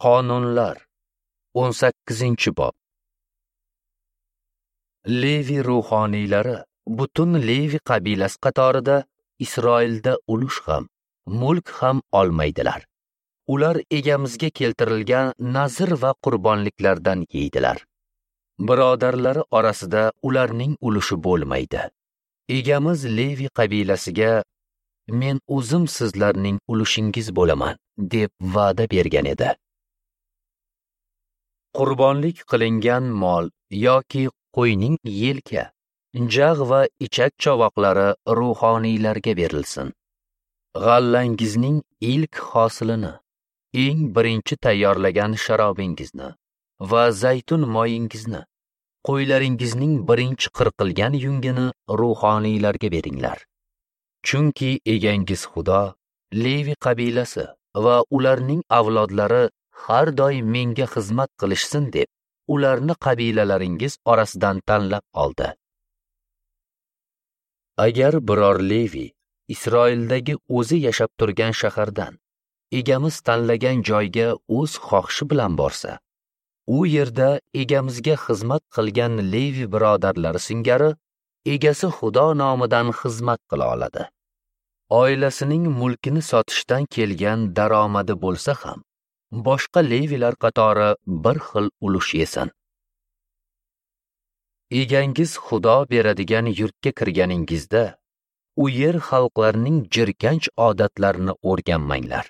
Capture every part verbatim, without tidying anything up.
Qonunlar, o'n sakkizinchi bob. Levi ruhoniylari butun Levi qabilasi qatorida Isroilda ulush ham, mulk ham olmaydilar. Ular egamizga keltirilgan nazr va qurbonliklardan yeydilar. Birodarlari orasida ularning ulushi bo'lmaydi. Egamiz Levi qabilasiga men o'zim sizlarning ulushingiz bo'laman deb va'da bergan edi. Qurbonlik qilingan mol yoki qo'yning yelka, jag' va ichak chovoqlari ruhoniylarga berilsin. G'allangizning ilk hosilini, eng birinchi tayyorlagan sharobingizni va zaytun moyingizni, qo'ylaringizning birinchi qirqilgan yungini ruhoniylarga beringlar. Chunki egangiz Xudo Levi qabilasi va ularning avlodlari har doim menga xizmat qilishsin deb ularni qabilalaringiz orasidan tanlab oldi. Agar biror Levi Isroildagi o'zi yashab turgan shahardan egamiz tanlagan joyga o'z xohishi bilan borsa, u yerda egamizga xizmat qilgan Levi birodarlari singari egasi Xudo nomidan xizmat qila oladi. Oilasining mulkini sotishdan kelgan daromadi bo'lsa ham, boshqa Levilar qatori bir xil ulush yesin. Egangiz Xudo beradigan yurtga kirganingizda, u yer xalqlarining jirkanch odatlarini o'rganmanglar.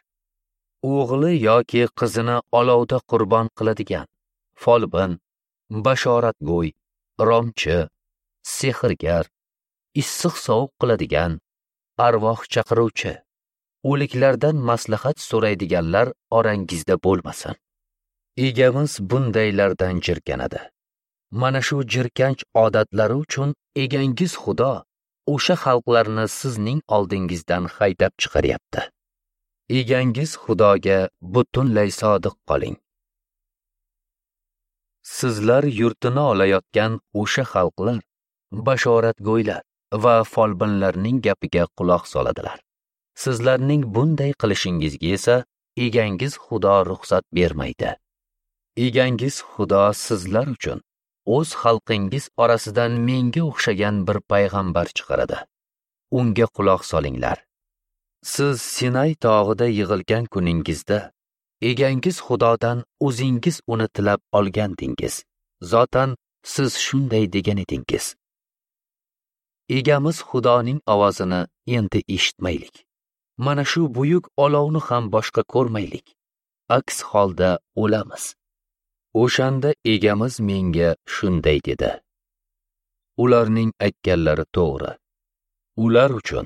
O'g'li yoki qizini olovda qurbon qiladigan folbin, bashoratgo'y, romchi, sehrgar, issiq sovuq qiladigan, arvoh chaqiruvchi, o'liklardan maslahat so'raydiganlar orangizda bo'lmasin. Egamiz bundaylardan jirkanadi. Mana shu jirkanch odatlari uchun egangiz Xudo o'sha xalqlarni sizning oldingizdan haydab chiqaryapti. Egangiz Xudoga butunlay sodiq qoling. Sizlar yurtini olayotgan o'sha xalqlar bashoratgo'ylar va folbinlarning gapiga quloq soladilar. Sizlarning bunday qilishingizga esa egangiz Xudo ruxsat bermaydi. Egangiz Xudo sizlar uchun o'z xalqingiz orasidan menga o'xshagan bir payg'ambar chiqaradi. Unga quloq solinglar. Siz Sinay tog'ida yig'ilgan kuningizda egangiz Xudodan o'zingiz uni tilab olgandingiz. Zotan siz shunday degan edingiz. Egamiz Xudoning ovozini endi eshitmaylik. Mana shu buyuk olovni ham boshqa ko'rmaylik. Aks holda o'lamiz. O'shanda egamiz menga shunday dedi. Ularning aytganlari to'g'ri. Ular uchun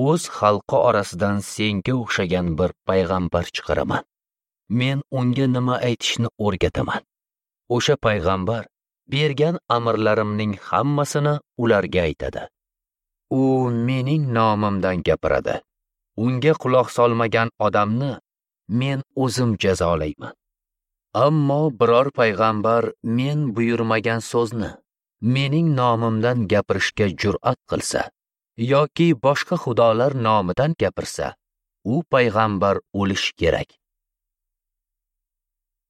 o'z xalqi orasidan senga o'xshagan bir payg'ambar chiqaraman. Men unga nima aytishni o'rgataman. O'sha payg'ambar bergan amrlarimning hammasini ularga aytadi. U mening nomimdan gapiradi. Unga quloq solmagan odamni men o'zim jazolayman. Ammo biror payg'ambar men buyurmagan so'zni mening nomimdan gapirishga jur'at qilsa yoki boshqa xudolar nomidan gapirsa, u payg'ambar o'lishi kerak.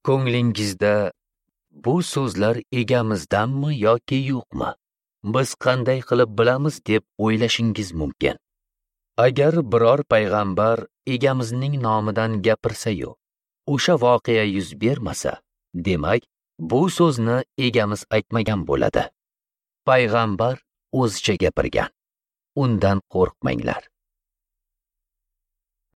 Ko'nglingizda bu so'zlar egamizdanmi yoki yo'qmi? Biz qanday qilib bilamiz deb o'ylashingiz mumkin. Agar biror payg'ambar egamizning nomidan gapirsa-yu, o'sha voqea yuz bermasa, demak, bu so'zni egamiz aytmagan bo'ladi. Payg'ambar o'zicha gapirgan. Undan qo'rqmanglar.